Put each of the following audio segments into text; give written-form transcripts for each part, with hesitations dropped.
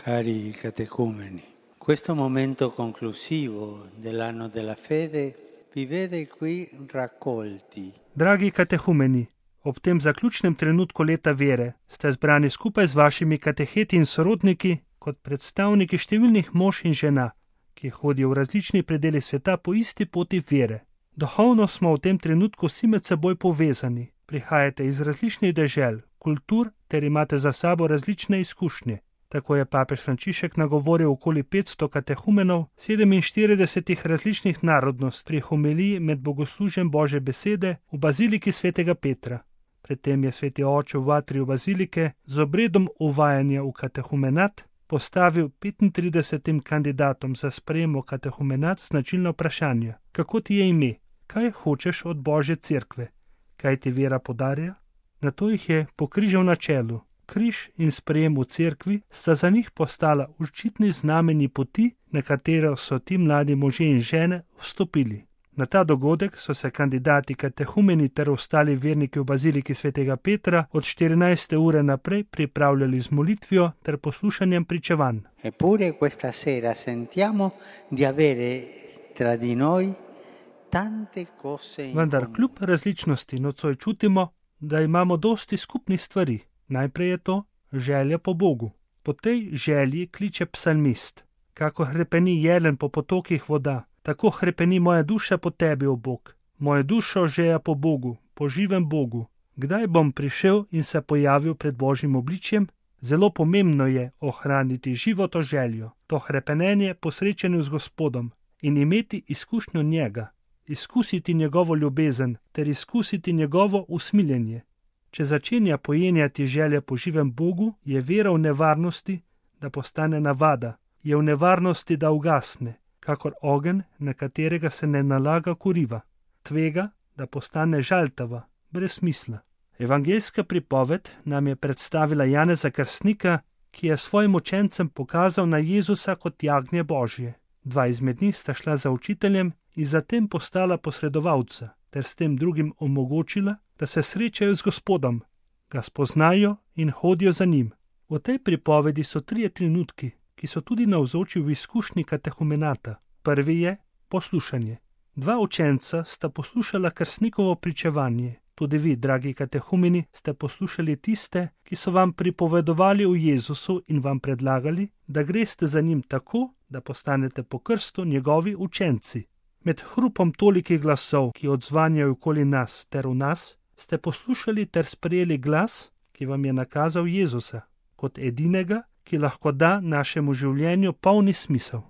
Cari catecumeni, questo momento conclusivo dell'anno della fede vi vede qui raccolti. Dragi katehumeni, ob tem zaključnem trenutku leta vere ste zbrani skupaj z vašimi kateheti in sorodniki kot predstavniki številnih mož in žena, ki hodijo v različnih predelih sveta po isti poti vere. Duhovno smo v tem trenutku vsi med seboj povezani, prihajate iz različnih dežel, kultur ter imate za sabo različne izkušnje. Tako je papež Frančišek nagovoril okoli 500 katehumenov 47 različnih narodnosti pri homiliji med bogoslužjem Božje besede v baziliki svetega Petra. Predtem je sveti oče v atriju bazilike z obredom uvajanja v katehumenat postavil 35 kandidatom za sprejem v katehumenat značilno vprašanje: kako ti je ime, kaj hočeš od Božje cerkve, kaj ti vera podarja? Nato jih je pokrižal na čelu. Križ in sprejem v cerkvi sta za njih postala očitni znameni poti, na katero so ti mladi možje in žene vstopili. Na ta dogodek so se kandidati katehumeni ter ostali verniki v baziliki svetega Petra od 14. ure naprej pripravljali z molitvijo ter poslušanjem pričevanj. Eppure questa sera sentiamo di avere tra di noi tante cose in Vendar comune. kljub različnosti nocoj čutimo, da imamo dosti skupnih stvari. Najprej je to želja po Bogu. Po tej želji kliče psalmist: kako hrepeni jelen po potokih voda, tako hrepeni moja duša po tebi, o Bog. Moja dušo žeja po Bogu, po živem Bogu. Kdaj bom prišel in se pojavil pred Božjim obličjem? Zelo pomembno je ohraniti živo to željo, to hrepenenje po srečanju z Gospodom in imeti izkušnjo njega, izkusiti njegovo ljubezen ter izkusiti njegovo usmiljenje. Če začenja pojenjati želja po živem Bogu, je vera v nevarnosti, da postane navada, je v nevarnosti, da ugasne, kakor ogenj, na katerega se ne nalaga kuriva. Tvega, da postane žaltava, brez smisla. Evangeljska pripoved nam je predstavila Janeza Krstnika, ki je svojim učencem pokazal na Jezusa kot jagnje Božje. Dva izmed njih sta šla za učiteljem in zatem postala posredovalca, ter s tem drugim omogočila, da se srečajo z Gospodom, ga spoznajo in hodijo za njim. V tej pripovedi so 3 trenutki, ki so tudi navzoči v izkušnji katehumenata. Prvi je poslušanje. 2 učenca sta poslušala krstnikovo pričevanje. Tudi vi, dragi katehumeni, ste poslušali tiste, ki so vam pripovedovali o Jezusu in vam predlagali, da greste za njim tako, da postanete po krstu njegovi učenci. Med hrupom tolikih glasov, ki odzvanjajo okoli nas ter v nas, ste poslušali ter sprejeli glas, ki vam je nakazal Jezusa, kot edinega, ki lahko da našemu življenju polni smisel.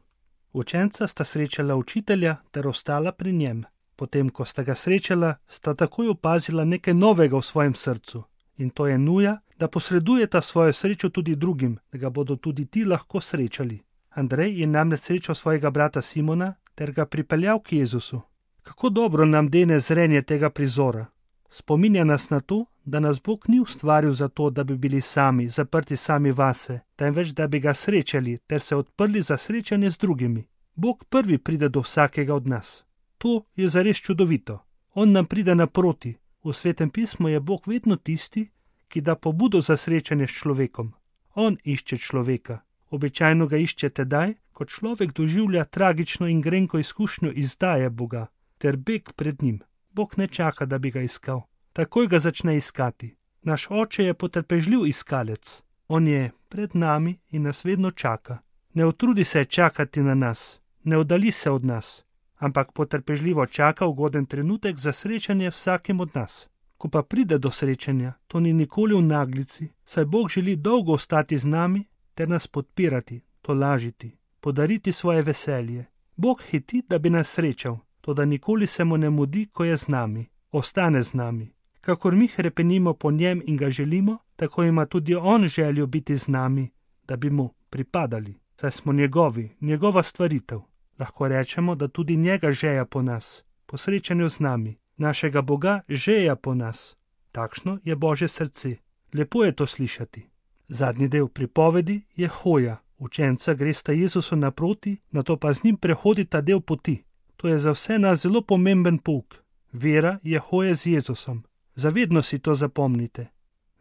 Učenca sta srečala učitelja ter ostala pri njem. Potem, ko sta ga srečala, sta takoj opazila nekaj novega v svojem srcu. In to je nuja, da posredujeta svojo srečo tudi drugim, da ga bodo tudi ti lahko srečali. Andrej je namreč srečal svojega brata Simona ter ga pripeljal k Jezusu. Kako dobro nam dene zrenje tega prizora. Spominja nas na to, da nas Bog ni ustvaril zato, da bi bili sami, zaprti sami vase, temveč da bi ga srečali ter se odprli za srečanje z drugimi. Bog prvi pride do vsakega od nas. To je zares čudovito. On nam pride naproti. V Svetem pismu je Bog vedno tisti, ki da pobudo za srečanje s človekom. On išče človeka. Običajno ga išče tedaj, ko človek doživlja tragično in grenko izkušnjo izdaje Boga ter beg pred njim. Bog ne čaka, da bi ga iskal. Takoj ga začne iskati. Naš oče je potrpežljiv iskalec. On je pred nami in nas vedno čaka. Ne utrudi se čakati na nas, ne oddali se od nas, ampak potrpežljivo čaka ugoden trenutek za srečanje vsakim od nas. Ko pa pride do srečanja, to ni nikoli v naglici, saj Bog želi dolgo ostati z nami ter nas podpirati, tolažiti, podariti svoje veselje. Bog hiti, da bi nas srečal, toda nikoli se mu ne mudi, ko je z nami, ostane z nami. Kakor mi hrepenimo po njem in ga želimo, tako ima tudi on željo biti z nami, da bi mu pripadali, saj smo njegovi, njegova stvaritev. Lahko rečemo, da tudi njega žeja po nas, po srečanju z nami, našega Boga žeja po nas. Takšno je Božje srce. Lepo je to slišati. Zadnji del pripovedi je hoja. Učenca gresta Jezusu naproti, nato pa z njim prehodita del poti. To je za vse nas zelo pomemben pouk. Vera je hoja z Jezusom. Zavedno si to zapomnite.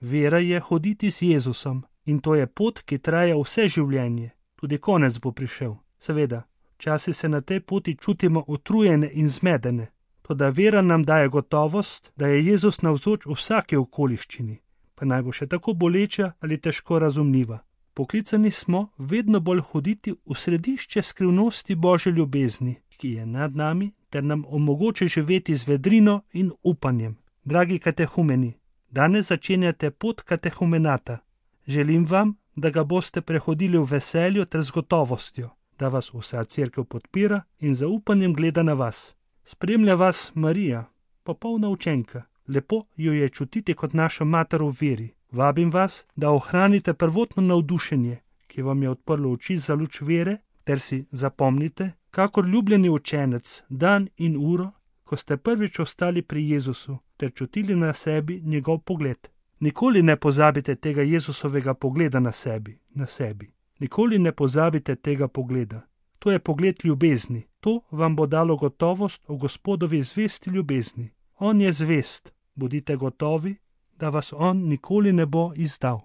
Vera je hoditi z Jezusom In to je pot, ki traja vse življenje. Tudi konec bo prišel. Seveda, včasih se na tej poti čutimo utrujene in zmedene. Toda vera nam daje gotovost, da je Jezus navzoč v vsaki okoliščini, pa naj bo še tako boleča ali težko razumljiva. Poklicani smo vedno bolj hoditi v središče skrivnosti Božje ljubezni, ki je nad nami, ter nam omogoča živeti z vedrino in upanjem. Dragi katehumeni, danes začenjate pot katehumenata. Želim vam, da ga boste prehodili v veselju ter z gotovostjo, da vas vsa cerkev podpira in z upanjem gleda na vas. Spremlja vas Marija, popolna učenka. Lepo jo je čutiti kot našo mater v veri. Vabim vas, da ohranite prvotno navdušenje, ki vam je odprlo oči za luč vere, ter si zapomnite, kakor ljubljeni učenec, dan in uro, ko ste prvič ostali pri Jezusu, ter čutili na sebi njegov pogled. Nikoli ne pozabite tega Jezusovega pogleda na sebi. Nikoli ne pozabite tega pogleda. To je pogled ljubezni. To vam bo dalo gotovost o Gospodovi zvesti ljubezni. On je zvest. Bodite gotovi, da vas on nikoli ne bo izdal.